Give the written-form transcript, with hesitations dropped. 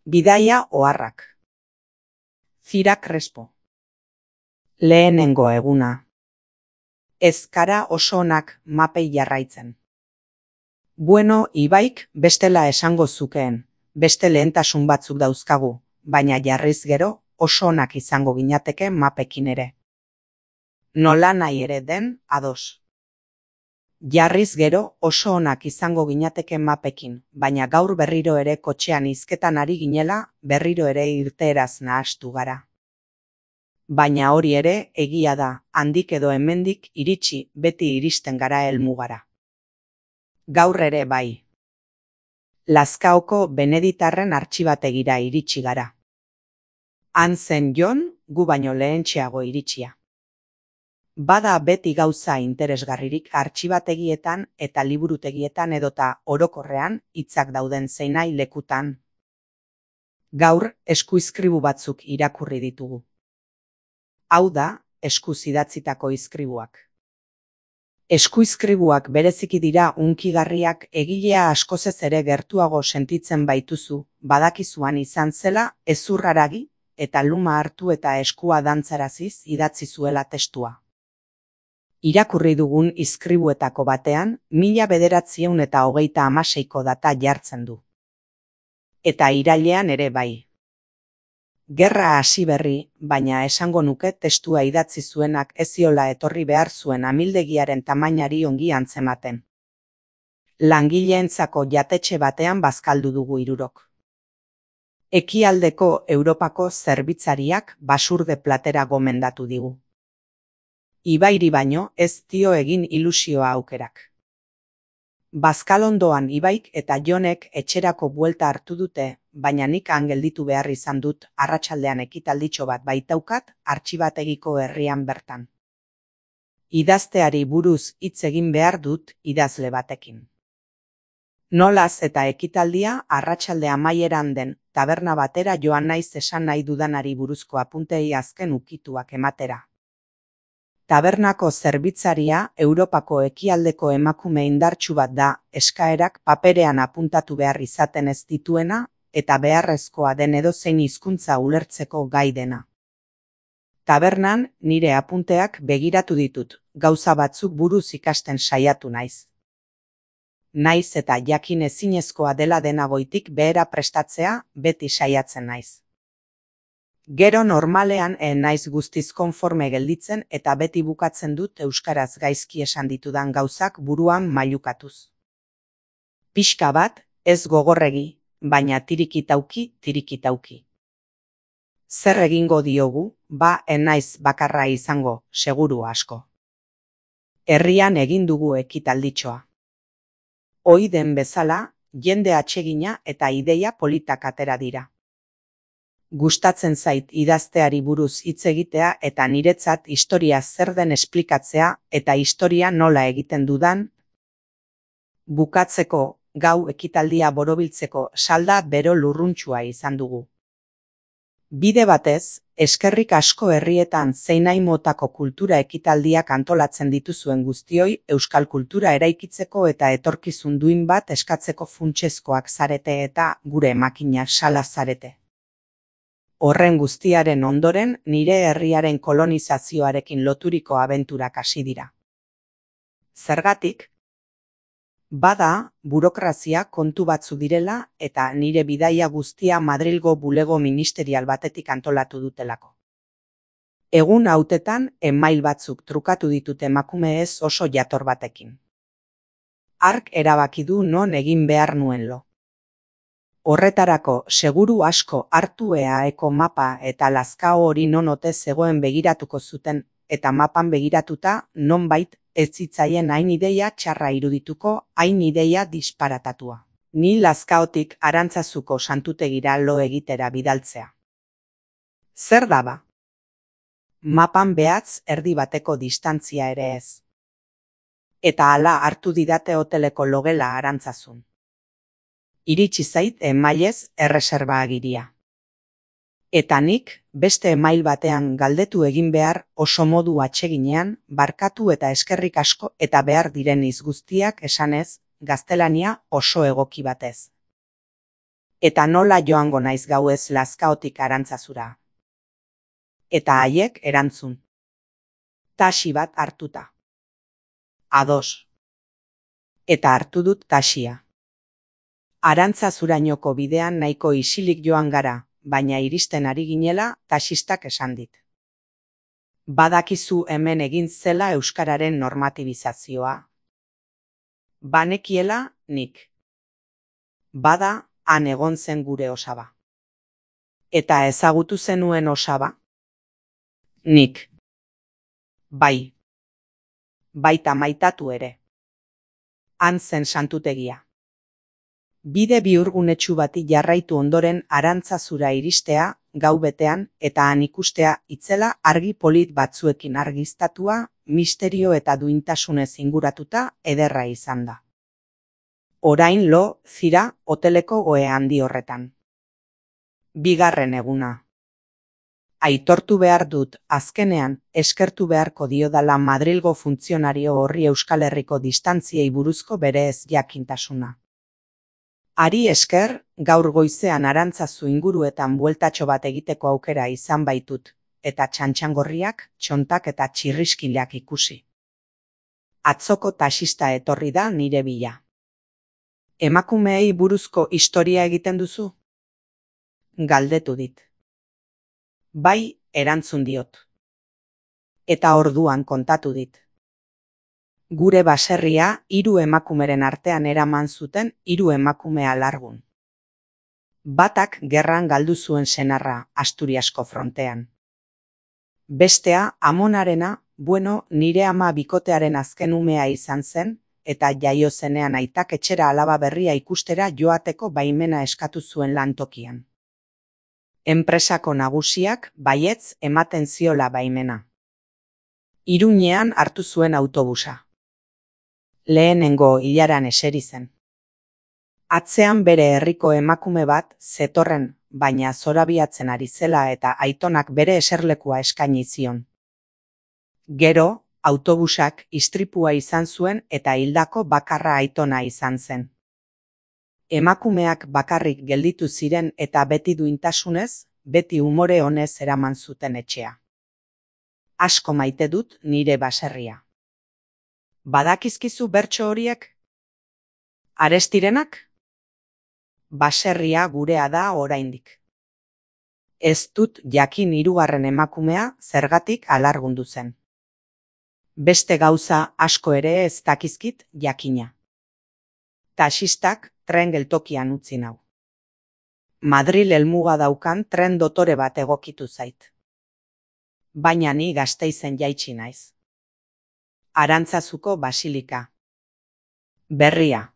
Bidaia oharrak. Zira Crespo. Lehenengo eguna. Ez gara oso onak mapei jarraitzen. Bueno, Ibaik bestela esango zukeen, beste lehentasun batzuk dauzkagu, baina jarriz gero oso onak izango ginateke mapekin ere. Nola nahi ere den, ados. Jarriz gero oso onak izango ginateke mapekin, baina gaur berriro ere kotxean hizketan ari ginela, berriro ere irteeraz nahastu gara. Baina hori ere egia da, handik edo hemendik iritsi beti iristen gara helmugara. Gaur ere bai. Lazkaoko Beneditarren artxibategira iritsi gara. Han zen Jon, gu baino lehentxeago iritsia. Bada beti gauza interesgarririk artxibategietan eta liburutegietan edota orokorrean hitzak dauden zeinai lekutan. Gaur eskuizkribu batzuk irakurri ditugu. Hau da, eskuz idatzitako izkribuak. Eskuizkribuak bereziki dira hunkigarriak egilea askozez ere gertuago sentitzen baituzu, badakizuan izan zela hezurraragi eta luma hartu eta eskua dantzaraziz idatzi zuela testua. Irakurri dugun izkribuetako batean 1936ko data jartzen du. Eta irailean ere bai. Gerra hasi berri, baina esango nuke testua idatzi zuenak ez ziola etorri behar zuen amildegiaren tamainari ongi antzematen. Langileentzako jatetxe batean bazkaldu dugu hirurok. Ekialdeko Europako zerbitzariak basurde platera gomendatu digu. Ibairi baino ez dio egin ilusioa aukerak. Bazkalondoan Ibaik eta Jonek etxerako buelta hartu dute, baina nik han gelditu behar izan dut arratsaldean ekitalditxo bat baitaukat artxibategiko herrian bertan. Idazteari buruz hitz egin behar dut idazle batekin. Nolaz eta ekitaldia arratsalde amaieran den taberna batera joan naiz esan nahi dudanari buruzko apuntei azken ukituak ematera. Tabernako zerbitzaria Europako ekialdeko emakume indartsu bat da, eskaerak paperean apuntatu behar izaten ez dituena eta beharrezkoa den edozein hizkuntza ulertzeko gai dena. Tabernan nire apunteak begiratu ditut, gauza batzuk buruz ikasten saiatu naiz. Naiz eta jakin ezinezkoa dela dena goitik behera prestatzea beti saiatzen naiz. Gero normalean naiz guztiz konforme gelditzen eta beti bukatzen dut euskaraz gaizki esan ditudan gauzak buruan mailukatuz. Pixka bat, ez gogorregi, baina tirikitauki. Zer egingo diogu, naiz bakarra izango, seguru asko. Herrian egin dugu ekitalditxoa. Ohi den bezala, jende atsegina eta ideia politak atera dira. Gustatzen zait idazteari buruz hitz egitea eta niretzat historia zer den esplikatzea eta historia nola egiten dudan. Bukatzeko, gau ekitaldia borobiltzeko salda bero lurruntsua izan dugu. Bide batez, eskerrik asko herrietan zeinain motako kultura ekitaldiak antolatzen dituzuen guztioi euskal kultura eraikitzeko eta etorkizun duin bat eskatzeko funtsezkoak zarete eta gure makina sala zarete. Horren guztiaren ondoren nire herriaren kolonizazioarekin loturiko abenturak hasi dira. Zergatik? Bada, burokrazia kontu batzu direla eta nire bidaia guztia Madrilgo bulego ministerial batetik antolatu dutelako. Egun hautetan email batzuk trukatu ditut emakume ez oso jator batekin. Hark erabaki du non egin behar nuen lo. Horretarako seguru asko hartu EAeko mapa eta Lazkao hori non ote zegoen begiratuko zuten eta mapan begiratuta nonbait ez zitzaien hain ideia txarra irudituko, hain ideia disparatatua. Ni Lazkaotik Arantzazuko santutegira lo egitera bidaltzea. Zer daba? Mapan behatz erdi bateko distantzia ere ez. Eta hala hartu didate hoteleko logela Arantzazun. Iritsi zait emailez erreserba agiria. Eta nik, beste email batean galdetu egin behar oso modu atseginean, barkatu eta eskerrik asko eta behar diren hitz guztiak esanez, gaztelania oso egoki batez. Eta nola joango naiz gauez Lazkaotik Arantzazura? Eta haiek erantzun. Taxi bat hartuta. Ados. Eta hartu dut taxia. Arantzazurainoko bidean nahiko isilik joan gara, baina iristen ari ginela taxistak esan dit. Badakizu hemen egin zela euskararen normatibizazioa. Banekiela nik. Bada, han egon zen gure osaba. Eta ezagutu zenuen osaba? Nik. Bai. Baita maitatu ere. Han zen santutegia. Bide bihurgunetsu bati jarraitu ondoren Arantzazura iristea, gau betean, eta han ikustea itzela argi polit batzuekin argiztatua, misterio eta duintasunez inguratuta ederra izan da. Orain lo, zira, hoteleko ohe handi horretan. Bigarren eguna. Aitortu behar dut, azkenean, eskertu beharko diodala Madrilgo funtzionario horri Euskal Herriko distantziei buruzko bere ez jakintasuna. Ari esker, gaur goizean Arantzazu inguruetan bueltatxo bat egiteko aukera izan baitut, eta txantxangorriak, txontak eta txirriskilak ikusi. Atzoko taxista etorri da nire bila. Emakumeei buruzko historia egiten duzu? Galdetu dit. Bai, erantzun diot. Eta orduan kontatu dit. Gure baserria 3 emakumeren artean eraman zuten 3 emakume alargun. Batak gerran galdu zuen senarra Asturiasko frontean. Bestea, amonarena, nire ama bikotearen azken umea izan zen, eta jaio zenean aitak etxera alaba berria ikustera joateko baimena eskatu zuen lantokian. Enpresako nagusiak baietz ematen ziola baimena. Iruñean hartu zuen autobusa. Lehenengo ilaran eseri zen. Atzean bere herriko emakume bat zetorren, baina zorabiatzen ari zela eta aitonak bere eserlekua eskaini zion. Gero, autobusak istripua izan zuen eta hildako bakarra aitona izan zen. Emakumeak bakarrik gelditu ziren eta beti duintasunez, beti umore honez eraman zuten etxea. Asko maite dut nire baserria. Badakizkizu bertso horiek? Arestirenak? Baserria gurea da oraindik. Ez dut jakin 3. emakumea zergatik alargundu zen. Beste gauza asko ere ez dakizkit jakina. Taxistak tren geltokian utzi nau. Madril helmuga daukan tren dotore bat egokitu zait. Baina ni Gasteizen jaitsi naiz. Arantzazuko basilika. Berria.